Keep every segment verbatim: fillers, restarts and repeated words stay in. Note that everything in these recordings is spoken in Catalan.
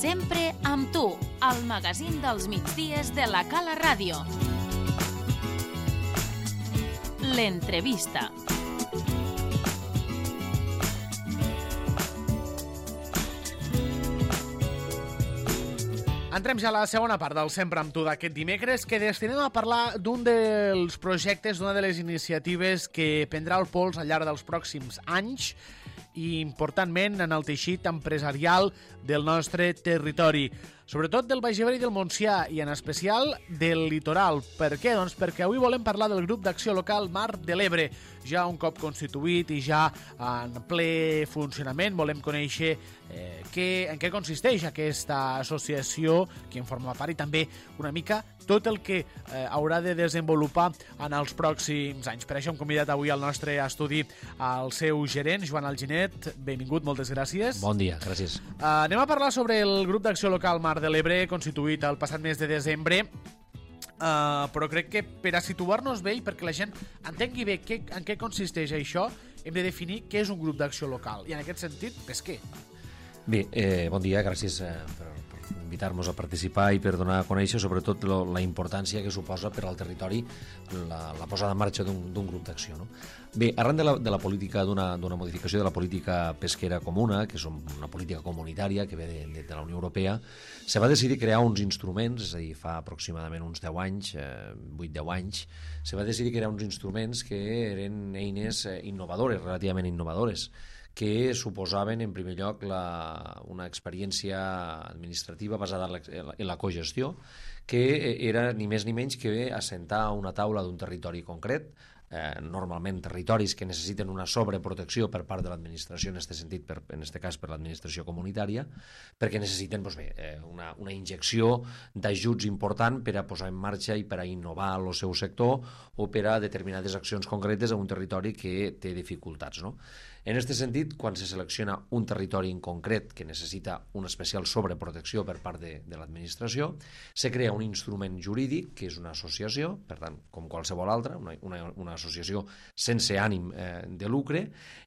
Sempre amb tu, al magazín dels migdies de la Cala Ràdio. L'entrevista. Entrem ja a la segona part del Sempre amb tu d'aquest dimecres, que destinem a parlar d'un dels projectes, d'una de les iniciatives que prendrà el pols al llarg dels pròxims anys i, importantment, en el teixit empresarial del nostre territori, sobretot del Baix Ebre i del Montsià, i en especial del litoral. Per què? Doncs perquè avui volem parlar del grup d'acció local Mar de l'Ebre, ja un cop constituït i ja en ple funcionament. Volem conèixer eh, què, en què consisteix aquesta associació, qui en forma part, i també una mica tot el que eh, haurà de desenvolupar en els pròxims anys. Per això hem convidat avui al nostre estudi al seu gerent, Joan Alginet. Benvingut, moltes gràcies. Bon dia, gràcies. Uh, anem a parlar sobre el grup d'acció local Mar de l'Ebre, constituït el passat mes de desembre, uh, però crec que per a situar-nos bé i perquè la gent entengui bé què, en què consisteix això, hem de definir què és un grup d'acció local, i en aquest sentit, pesquer. Bé, eh, bon dia, gràcies eh, per, per invitar-nos a participar i per donar a conèixer sobretot lo, la importància que suposa per al territori la, la posada en marxa d'un grup d'acció, no? Bé, arran de la, de la política, d'una modificació de la política pesquera comuna, que és una política comunitària que ve de, de, de la Unió Europea, se va decidir crear uns instruments, és a dir, fa aproximadament uns deu anys, eh, vuit deu anys, se va decidir crear uns instruments que eren eines innovadores, relativament innovadores, que suposaven, en primer lloc, la, una experiència administrativa basada en la, en la cogestió, que era ni més ni menys que assentar una taula d'un territori concret, eh, normalment territoris que necessiten una sobreprotecció per part de l'administració, en aquest sentit, per, en aquest cas per l'administració comunitària, perquè necessiten doncs bé, eh, una, una injecció d'ajuts important per a posar en marxa i per a innovar el seu sector o per a determinades accions concretes en un territori que té dificultats, no? En aquest sentit, quan se selecciona un territori en concret que necessita una especial sobreprotecció per part de, de l'administració, se crea un instrument jurídic, que és una associació, per tant, com qualsevol altra, una, una, una associació sense ànim eh, de lucre,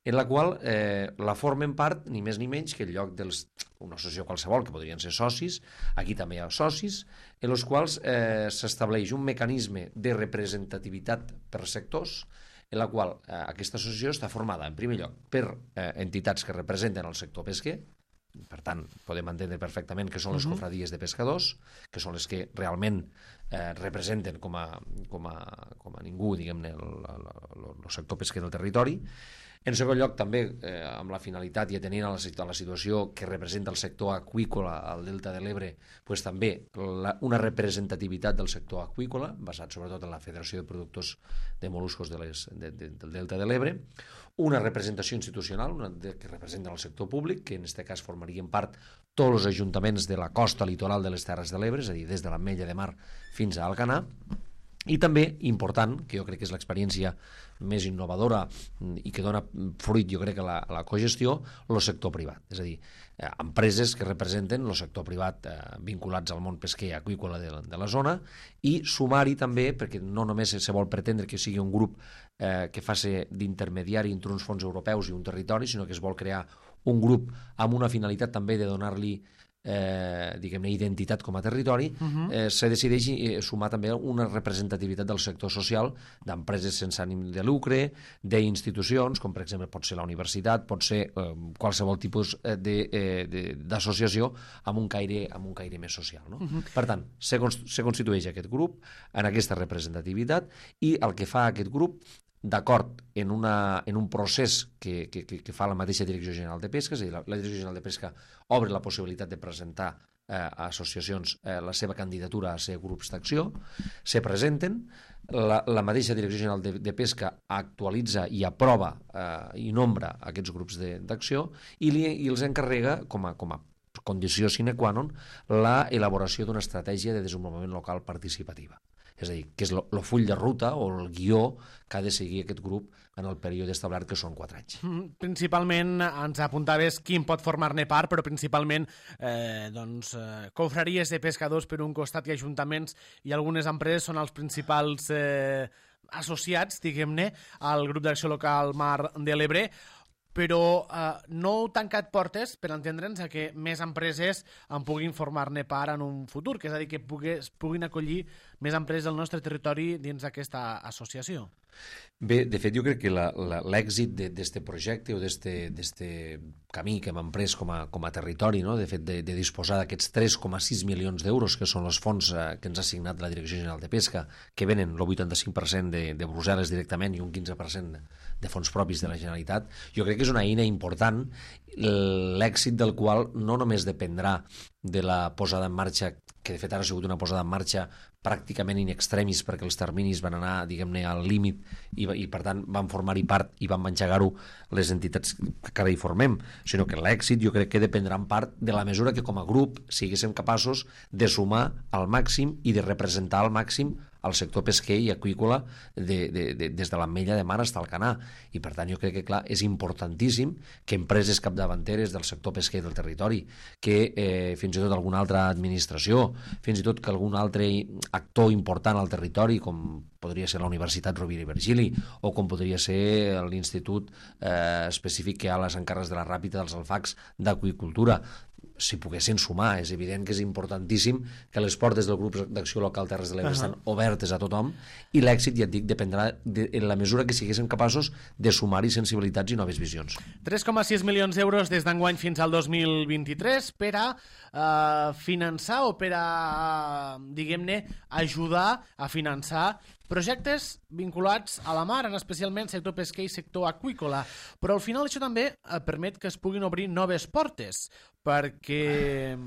en la qual eh, la formen part, ni més ni menys, que en lloc dels una associació qualsevol, que podrien ser socis, aquí també hi ha socis, en els quals eh, s'estableix un mecanisme de representativitat per sectors, en la qual eh, aquesta associació està formada, en primer lloc, per eh, entitats que representen el sector pesquer. Per tant, podem entendre perfectament que són les cofradies de pescadors, que són les que realment eh, representen com a, com a, com a ningú, diguem-ne, el, el, el sector pesquer del territori. En segon lloc, també, eh, amb la finalitat i atenint a la, a la situació que representa el sector aqüícola al Delta de l'Ebre, pues, també la, una representativitat del sector aqüícola, basat sobretot en la Federació de Productors de Moluscos de les, de, de, del Delta de l'Ebre, una representació institucional una de, que representa el sector públic, que en aquest cas formarien part tots els ajuntaments de la costa litoral de les Terres de l'Ebre, és a dir, des de l'Ametlla de Mar fins a Alcanar. I també, important, que jo crec que és l'experiència més innovadora i que dona fruit, jo crec, a la, a la cogestió, el sector privat. És a dir, eh, empreses que representen el sector privat eh, vinculats al món pesquer aqüícola de, de la zona, i sumar-hi també, perquè no només se vol pretendre que sigui un grup eh, que faci d'intermediari entre uns fons europeus i un territori, sinó que es vol crear un grup amb una finalitat també de donar-li Eh, diguem-ne, identitat com a territori, uh-huh. eh, se decideix eh, sumar també una representativitat del sector social, d'empreses sense ànim de lucre, d'institucions, com per exemple pot ser la universitat, pot ser eh, qualsevol tipus d'associació eh, amb un caire, amb un caire més social, no? Uh-huh. Per tant, se, se constitueix aquest grup en aquesta representativitat, i el que fa aquest grup, d'acord en, una, en un procés que, que, que fa la mateixa Direcció General de Pesca, és a dir, la, la Direcció General de Pesca obre la possibilitat de presentar eh, a associacions eh, la seva candidatura a ser grups d'acció, se presenten, la, la mateixa Direcció General de, de Pesca actualitza i aprova eh, i nombra aquests grups d'acció, i, li, i els encarrega com a, com a condició sine qua non la elaboració d'una estratègia de desenvolupament local participativa. És a dir, que és el full de ruta o el guió que ha de seguir aquest grup en el període establert, que són quatre anys. Principalment, ens apuntaves qui en pot formar-ne part, però principalment eh, doncs, eh, confraries de pescadors per un costat i ajuntaments i algunes empreses són els principals eh, associats, diguem-ne, al grup d'acció local Mar de l'Ebre. però eh, no heu tancat portes per entendre'ns a que més empreses en puguin formar-ne part en un futur, que és a dir, que pugues, puguin acollir més empreses del nostre territori dins d'aquesta associació. Bé, de fet, jo crec que l'èxit d'aquest projecte o d'aquest camí que hem emprès com a, com a territori, no? De fet, de, de disposar d'aquests tres coma sis milions d'euros, que són els fons eh, que ens ha assignat la Direcció General de Pesca, que venen el vuitanta-cinc per cent de, de Brussel·les directament i un quinze per cent de fons propis de la Generalitat, jo crec que és una eina important, l'èxit del qual no només dependrà de la posada en marxa, que de fet ara ha sigut una posada en marxa pràcticament in extremis, perquè els terminis van anar, diguem-ne, al límit i, i per tant van formar-hi part i van engegar-ho les entitats que ara hi formem, sinó que l'èxit jo crec que dependrà en part de la mesura que com a grup siguéssim capaços de sumar al màxim i de representar al màxim al sector pesquer i aqüícola de, de, de, des de l'Ametlla de Mar fins al Canà. I per tant jo crec que clar, és importantíssim que empreses capdavanteres del sector pesquer del territori, que eh, fins i tot alguna altra administració, fins i tot que algun altre actor important al territori, com podria ser la Universitat Rovira i Virgili o com podria ser l'Institut eh, específic que hi ha a les Encarres de la Ràpita dels Alfacs d'Aqüicultura, si poguessin sumar. És evident que és importantíssim que les portes del grup d'acció local Terres de l'Ebre uh -huh. estan obertes a tothom i l'èxit, ja et dic, dependrà de, en la mesura que siguéssim capaços de sumar-hi sensibilitats i noves visions. tres coma sis milions d'euros des d'enguany fins al dos mil vint-i-tres per a uh, finançar o per a, diguem-ne, ajudar a finançar projectes vinculats a la mar, en especialment sector pesquer i sector aqüícola. Però al final això també eh, permet que es puguin obrir noves portes, perquè eh,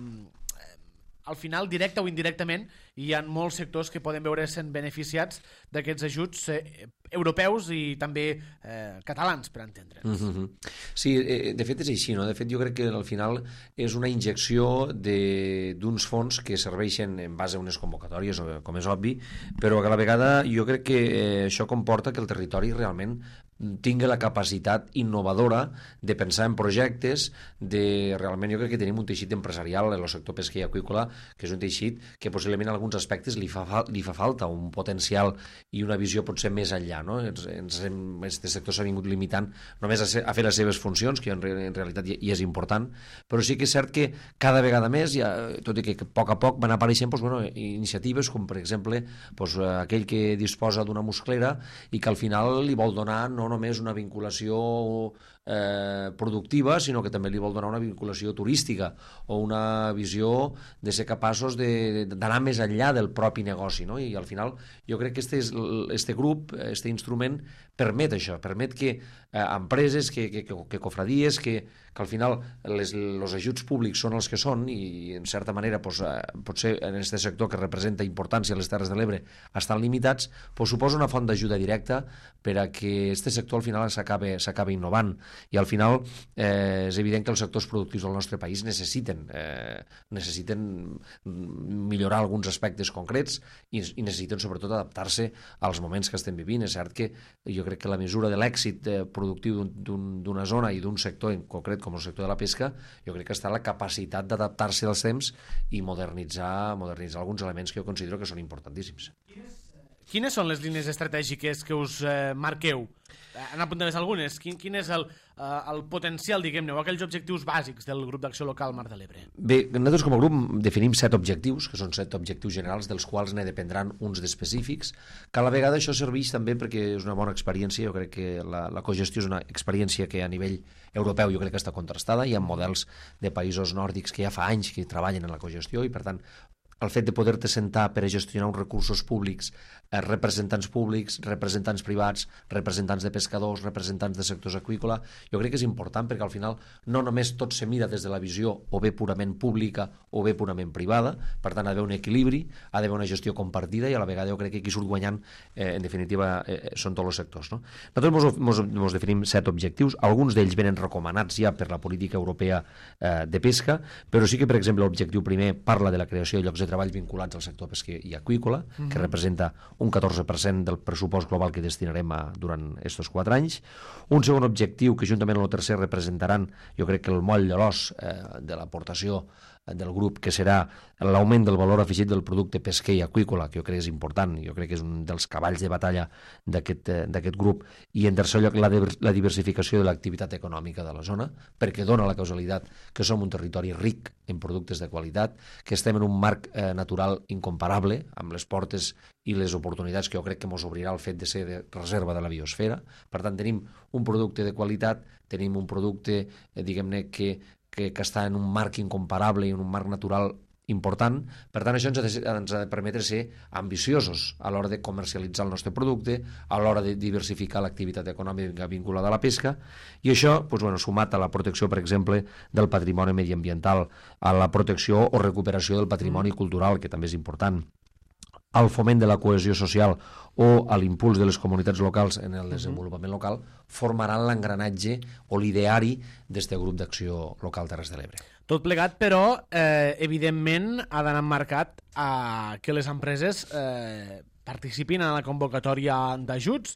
al final, directe o indirectament, hi ha molts sectors que poden veure-se'n beneficiats d'aquests ajuts eh, europeus i també eh, catalans, per entendre'ns. Mm-hmm. Sí, eh, de fet és així, no? De fet jo crec que al final és una injecció d'uns fons que serveixen en base a unes convocatòries, com és obvi, però que a la vegada jo crec que eh, això comporta que el territori realment tingui la capacitat innovadora de pensar en projectes, de realment jo crec que tenim un teixit empresarial en el sector pesquer i aqüícola, que és un teixit que possiblement en alguns aspectes li fa, li fa falta un potencial i una visió potser més enllà, no? Ens, ens hem, este sector s'ha vingut limitant només a, ser, a fer les seves funcions, que en, en realitat hi, hi és important, però sí que és cert que cada vegada més, ja, tot i que a poc a poc van apareixent doncs, bueno, iniciatives com per exemple doncs, aquell que disposa d'una musclera i que al final li vol donar no només una vinculació eh, productiva, sinó que també li vol donar una vinculació turística o una visió de ser capaços d'anar més enllà del propi negoci, no? I al final jo crec que este, este grup, este instrument permet això, permet que eh, empreses, que, que, que cofradies, que, que al final les, els ajuts públics són els que són i en certa manera pues, eh, potser en aquest sector que representa importància a les Terres de l'Ebre estan limitats, pues, suposa una font d'ajuda directa per a que aquest sector al final s'acabi innovant i al final eh, és evident que els sectors productius del nostre país necessiten eh, necessiten millorar alguns aspectes concrets i, i necessiten sobretot adaptar-se als moments que estem vivint. És cert que jo crec que la mesura de l'èxit eh, productiu d'una zona i d'un sector en concret com el sector de la pesca, jo crec que està la capacitat d'adaptar-se als temps i modernitzar, modernitzar alguns elements que jo considero que són importantíssims. Quines són les línies estratègiques que us eh, marqueu? En apuntaràs algunes. Quin, quin és el, eh, el potencial, diguem-ne, o aquells objectius bàsics del grup d'acció local Mar de l'Ebre? Bé, nosaltres com a grup definim set objectius, que són set objectius generals, dels quals ne dependran uns d'específics, que a la vegada això serveix també perquè és una bona experiència. Jo crec que la, la cogestió és una experiència que a nivell europeu jo crec que està contrastada. Hi ha models de països nòrdics que ja fa anys que treballen en la cogestió i per tant el fet de poder-te sentar per a gestionar uns recursos públics, eh, representants públics, representants privats, representants de pescadors, representants de sectors aqüícola, jo crec que és important perquè al final no només tot se mira des de la visió o bé purament pública o bé purament privada, per tant ha d'haver un equilibri, ha d'haver una gestió compartida i a la vegada jo crec que qui surt guanyant eh, en definitiva eh, són tots els sectors, no? Nosaltres ens definim set objectius, alguns d'ells venen recomanats ja per la política europea eh, de pesca, però sí que per exemple l'objectiu primer parla de la creació de llocs de treball vinculats al sector pesquer i aqüícola, mm-hmm. que representa un catorze per cent del pressupost global que destinarem a, durant aquests quatre anys. Un segon objectiu que juntament amb el tercer representaran, jo crec que el moll de l'os eh, de l'aportació del grup, que serà l'augment del valor afegit del producte pesquer i aqüícola, que jo crec que és important, jo crec que és un dels cavalls de batalla d'aquest grup, i en tercer lloc la, la diversificació de l'activitat econòmica de la zona, perquè dona la causalitat que som un territori ric en productes de qualitat, que estem en un marc eh, natural incomparable, amb les portes i les oportunitats que jo crec que ens obrirà el fet de ser de reserva de la biosfera. Per tant, tenim un producte de qualitat, tenim un producte, eh, diguem-ne, que, que, que està en un marc incomparable i en un marc natural important. Per tant, això ens ha, de, ens ha de permetre ser ambiciosos a l'hora de comercialitzar el nostre producte, a l'hora de diversificar l'activitat econòmica vinculada a la pesca, i això, doncs, bueno, sumat a la protecció, per exemple, del patrimoni mediambiental, a la protecció o recuperació del patrimoni cultural, que també és important, al foment de la cohesió social o a l'impuls de les comunitats locals en el desenvolupament local, formaran l'engranatge o l'ideari d'aquest grup d'acció local Terres de l'Ebre. Tot plegat, però, eh, evidentment, ha d'anar marcat a que les empreses eh, participin en la convocatòria d'ajuts.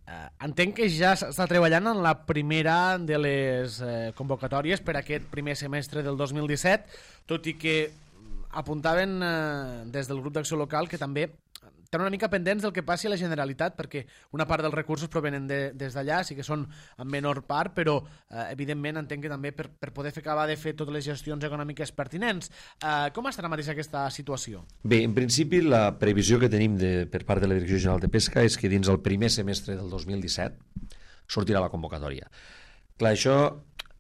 Eh, entenc que ja s'està treballant en la primera de les eh, convocatòries per aquest primer semestre del dos mil disset, tot i que apuntaven eh, des del grup d'acció local que també estan una mica pendents del que passi a la Generalitat, perquè una part dels recursos provenen de, des d'allà, sí que són en menor part, però eh, evidentment entenc que també per, per poder fer acabar de fer totes les gestions econòmiques pertinents. Eh, com estarà mateix aquesta situació? Bé, en principi la previsió que tenim de, per part de la Direcció General de Pesca és que dins el primer semestre del dos mil disset sortirà la convocatòria. Clar, això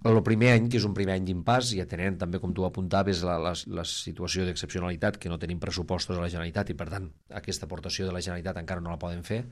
el primer any, que és un primer any d'impàs, i atenent també, com tu apuntaves, la, la, la situació d'excepcionalitat, que no tenim pressupostos a la Generalitat i, per tant, aquesta aportació de la Generalitat encara no la poden fer,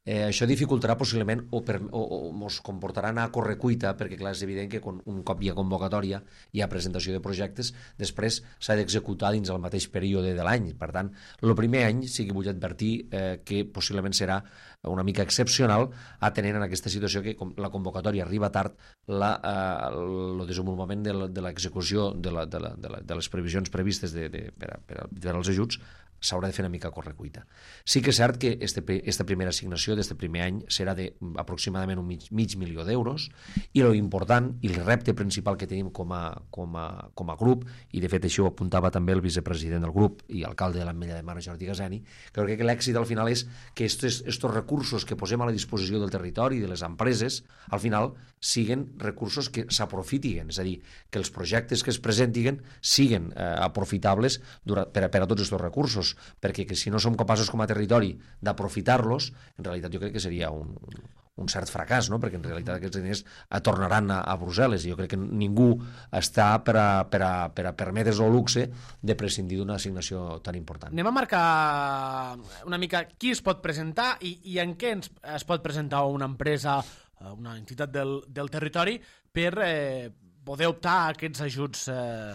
eh, això dificultarà possiblement o, per, o, o ens comportarà anar a correcuita, perquè clar, és evident que quan, un cop hi ha convocatòria, hi ha presentació de projectes, després s'ha d'executar dins el mateix període de l'any. Per tant, el primer any sí que vull advertir eh, que possiblement serà una mica excepcional, atenent en aquesta situació que com la convocatòria arriba tard, la, eh, el desenvolupament de, de l'execució de, la, de, la, de, la, de les previsions previstes de, de, per, a, per, a, per als ajuts s'haurà de fer una mica a correcuita. Sí que és cert que aquesta primera assignació d'aquest primer any serà d'aproximadament un mig, mig milió d'euros, i l'important i el repte principal que tenim com a, com, a, com a grup, i de fet això ho apuntava també el vicepresident del grup i alcalde de l'Ametlla de Mar, Jordi Gaseni, crec que l'èxit al final és que aquests recursos que posem a la disposició del territori i de les empreses, al final siguin recursos que s'aprofitin, és a dir, que els projectes que es presentin siguin eh, aprofitables per a, per a tots aquests recursos, perquè que si no som capaços com a territori d'aprofitar-los, en realitat jo crec que seria un, un cert fracàs, no? Perquè en realitat aquests diners tornaran a, a Brussel·les, i jo crec que ningú està per a, per a, per a permetre's el luxe de prescindir d'una assignació tan important. Anem a marcar una mica qui es pot presentar i, i en què ens, es pot presentar una empresa, una entitat del, del territori per eh, poder optar a aquests ajuts eh,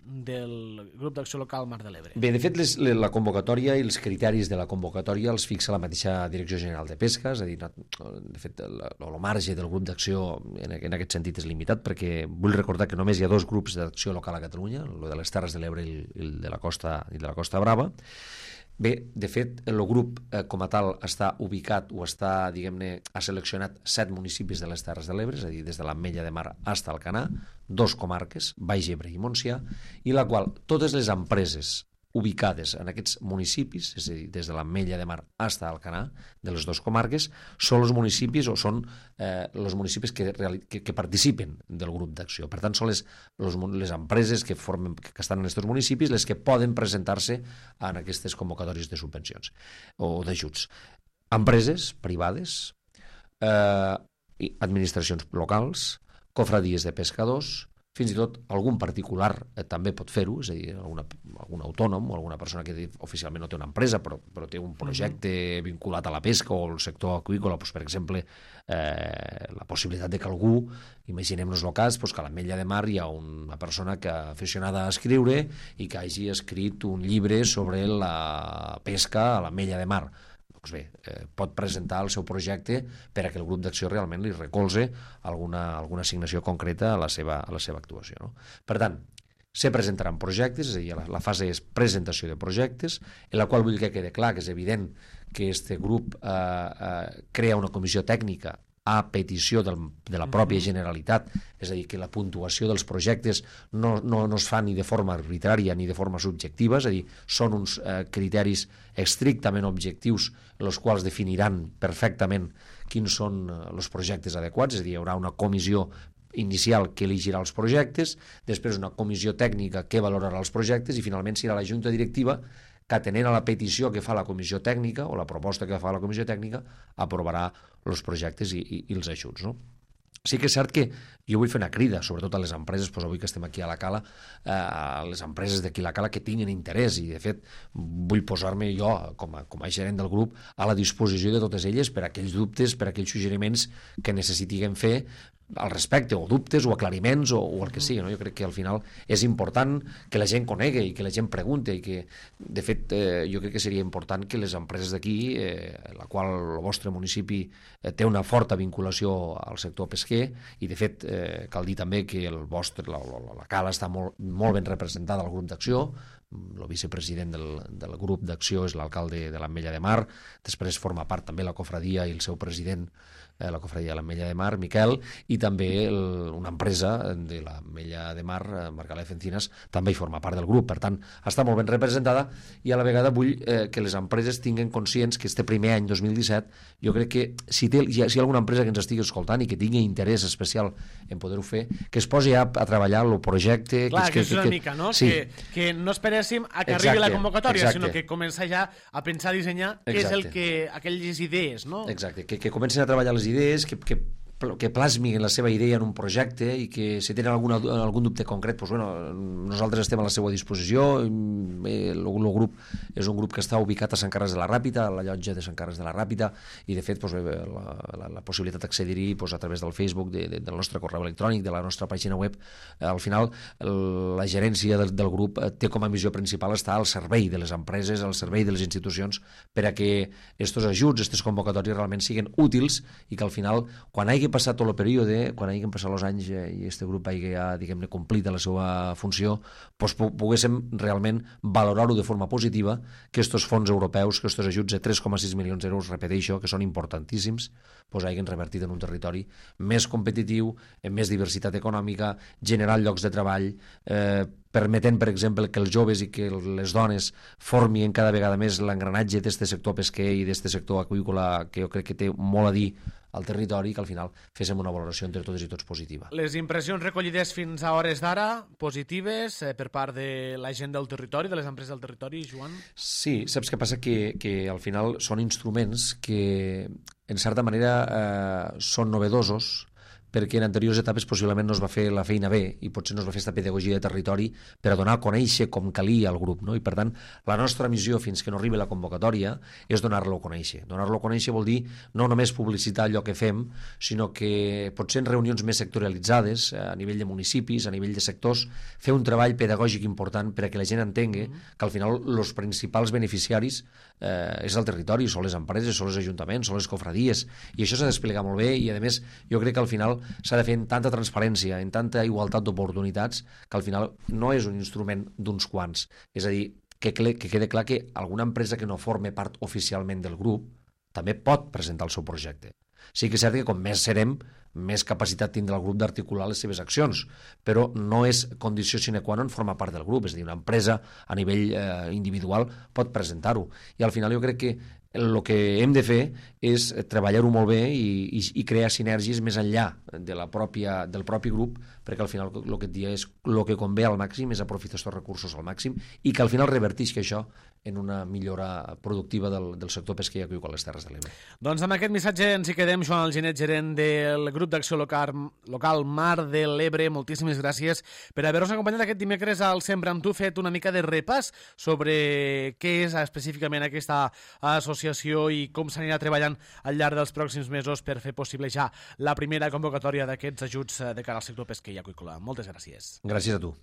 del grup d'acció local Mar de l'Ebre. Bé, de fet, les, la convocatòria i els criteris de la convocatòria els fixa la mateixa Direcció General de Pesca, és a dir, de fet, el, el marge del grup d'acció en, en aquest sentit és limitat, perquè vull recordar que només hi ha dos grups d'acció local a Catalunya, el de les Terres de l'Ebre i el de la Costa i de la Costa Brava. Bé, de fet, el grup eh, com a tal està ubicat o està, diguem-ne, ha seleccionat set municipis de les Terres de l'Ebre, és a dir, des de l'Ametlla de Mar fins al Alcanar, dos comarques, Baix Ebre i Montsià, i la qual totes les empreses ubicades en aquests municipis, és a dir, des de l'Ametlla de Mar fins al Alcanar, de les dues comarques, són els municipis o són eh, els municipis que, que, que participen del grup d'acció. Per tant, són les, les, les empreses que, formen, que estan en aquests municipis les que poden presentar-se en aquestes convocatòries de subvencions o d'ajuts. Empreses privades, eh, administracions locals, cofradies de pescadors, fins i tot algun particular eh, també pot fer-ho, és a dir, alguna, algun autònom o alguna persona que oficialment no té una empresa però, però té un projecte uh-huh. vinculat a la pesca o al sector aqüícola, doncs, per exemple, eh, la possibilitat de que algú, imaginem-nos el cas, doncs, que a l'Ametlla de Mar hi ha una persona que aficionada a escriure i que hagi escrit un llibre sobre la pesca a l'Ametlla de Mar. Doncs bé, eh, pot presentar el seu projecte per a que el grup d'acció realment li recolze alguna, alguna assignació concreta a la seva, a la seva actuació. No? Per tant, se presentaran projectes, és a dir, la, la fase és presentació de projectes, en la qual vull que quede clar que és evident que aquest grup eh, eh, crea una comissió tècnica a petició del, de la pròpia Generalitat, és a dir, que la puntuació dels projectes no, no, no es fa ni de forma arbitrària ni de forma subjectiva, és a dir, són uns eh, criteris estrictament objectius els quals definiran perfectament quins són els projectes adequats, és a dir, hi haurà una comissió inicial que elegirà els projectes, després una comissió tècnica que valorarà els projectes i finalment serà la junta directiva que, atenent a la petició que fa la comissió tècnica o la proposta que fa la comissió tècnica, aprovarà els projectes i, i, i els ajuts, no? Sí que és cert que jo vull fer una crida, sobretot a les empreses, doncs avui que estem aquí a la Cala, eh, a les empreses d'aquí a la Cala que tinguin interès, i de fet vull posar-me jo, com a, com a gerent del grup, a la disposició de totes elles per a aquells dubtes, per a aquells suggeriments que necessitiguem fer al respecte, o dubtes, o aclariments, o, o el que sigui, no? Jo crec que al final és important que la gent conegui i que la gent pregunte, i que, de fet, eh, jo crec que seria important que les empreses d'aquí, eh, la qual el vostre municipi eh, té una forta vinculació al sector pesquer, i de fet eh, cal dir també que el vostre, la, la, la Cala està molt, molt ben representada al grup d'acció. El vicepresident del, del grup d'acció és l'alcalde de l'Ametlla de Mar, després forma part també la cofradia i el seu president, eh, la cofradia de l'Ametlla de Mar, Miquel, i també el, una empresa de l'Ametlla de Mar, Margalef Encinas, també hi forma part del grup. Per tant, està molt ben representada, i a la vegada vull eh, que les empreses tinguin conscients que este primer any dos mil disset, jo crec que si, té, si hi ha alguna empresa que ens estigui escoltant i que tingui interès especial en poder-ho fer, que es posi a, a treballar el projecte. Clar, que, que, és una que, mica, no? Sí. Que, que no esperéssim a que Exacte, arribi la convocatòria, exacte. sinó que comença ja a pensar, a dissenyar què és el que, aquelles idees, no? Exacte, que, que comencin a treballar les idees, que, que que plasmin la seva idea en un projecte, i que si tenen alguna, algun dubte concret, doncs, bueno, nosaltres estem a la seva disposició. El, el grup és un grup que està ubicat a Sant Carles de la Ràpita, a la llotja de Sant Carles de la Ràpita, i de fet doncs, la, la, la possibilitat d'accedir-hi doncs, a través del Facebook, de, de, del nostre correu electrònic, de la nostra pàgina web. Al final la gerència del, del grup té com a missió principal estar al servei de les empreses, al servei de les institucions, per a que aquests ajuts, aquestes convocatòries realment siguin útils, i que al final, quan hagi passat tot el període, quan hagin passat els anys eh, i aquest grup hagi ja, diguem-ne, complit la seva funció, doncs poguéssim realment valorar-ho de forma positiva, que aquests fons europeus, que aquests ajuts de tres coma sis milions d'euros, repeteixo, que són importantíssims, doncs hagin revertit en un territori més competitiu, amb més diversitat econòmica, generant llocs de treball, eh, permetent, per exemple, que els joves i que les dones formin cada vegada més l'engranatge d'aquest sector pesquer i d'aquest sector aqüícola, que jo crec que té molt a dir al territori, que al final féssim una valoració entre totes i tots positiva. Les impressions recollides fins a hores d'ara, positives, eh, per part de la gent del territori, de les empreses del territori, Joan? Sí, saps què passa? Que, que al final són instruments que, en certa manera, eh, són novedosos, perquè en anteriors etapes possiblement no es va fer la feina bé, i potser no es va fer aquesta pedagogia de territori per a donar a conèixer com calia al grup, no? I per tant, la nostra missió fins que no arribi la convocatòria és donar-lo a conèixer. Donar-lo a conèixer vol dir no només publicitar allò que fem, sinó que potser en reunions més sectorialitzades, a nivell de municipis, a nivell de sectors, fer un treball pedagògic important per a que la gent entengui que al final els principals beneficiaris eh, és el territori, són les empreses, són els ajuntaments, són les cofradies, i això s'ha d'explicar molt bé, i a més jo crec que al final s'ha de fer en tanta transparència, en tanta igualtat d'oportunitats, que al final no és un instrument d'uns quants. És a dir, que, que quede clar que alguna empresa que no forme part oficialment del grup també pot presentar el seu projecte. Sí que és cert que com més serem, més capacitat tindrà el grup d'articular les seves accions, però no és condició sine qua non formar part del grup, és a dir, una empresa a nivell eh, individual pot presentar-ho. I al final jo crec que el que hem de fer és treballar-ho molt bé i, i, i crear sinergies més enllà de la pròpia, del propi grup, perquè al final el que et dia és el que convé al màxim és aprofitar aquests recursos al màxim, i que al final revertix això en una millora productiva del, del sector pesquer i aqüícola a les Terres de l'Ebre. Doncs amb aquest missatge ens hi quedem. Joan Alginet, gerent del grup d'acció local, local Mar de l'Ebre, moltíssimes gràcies per haver-nos acompanyat aquest dimecres al Sempre amb tu, fet una mica de repàs sobre què és específicament aquesta associació i com s'anirà treballant al llarg dels pròxims mesos per fer possible ja la primera convocatòria d'aquests ajuts de cara al sector pesquer i aqüícola. Moltes gràcies. Gràcies a tu.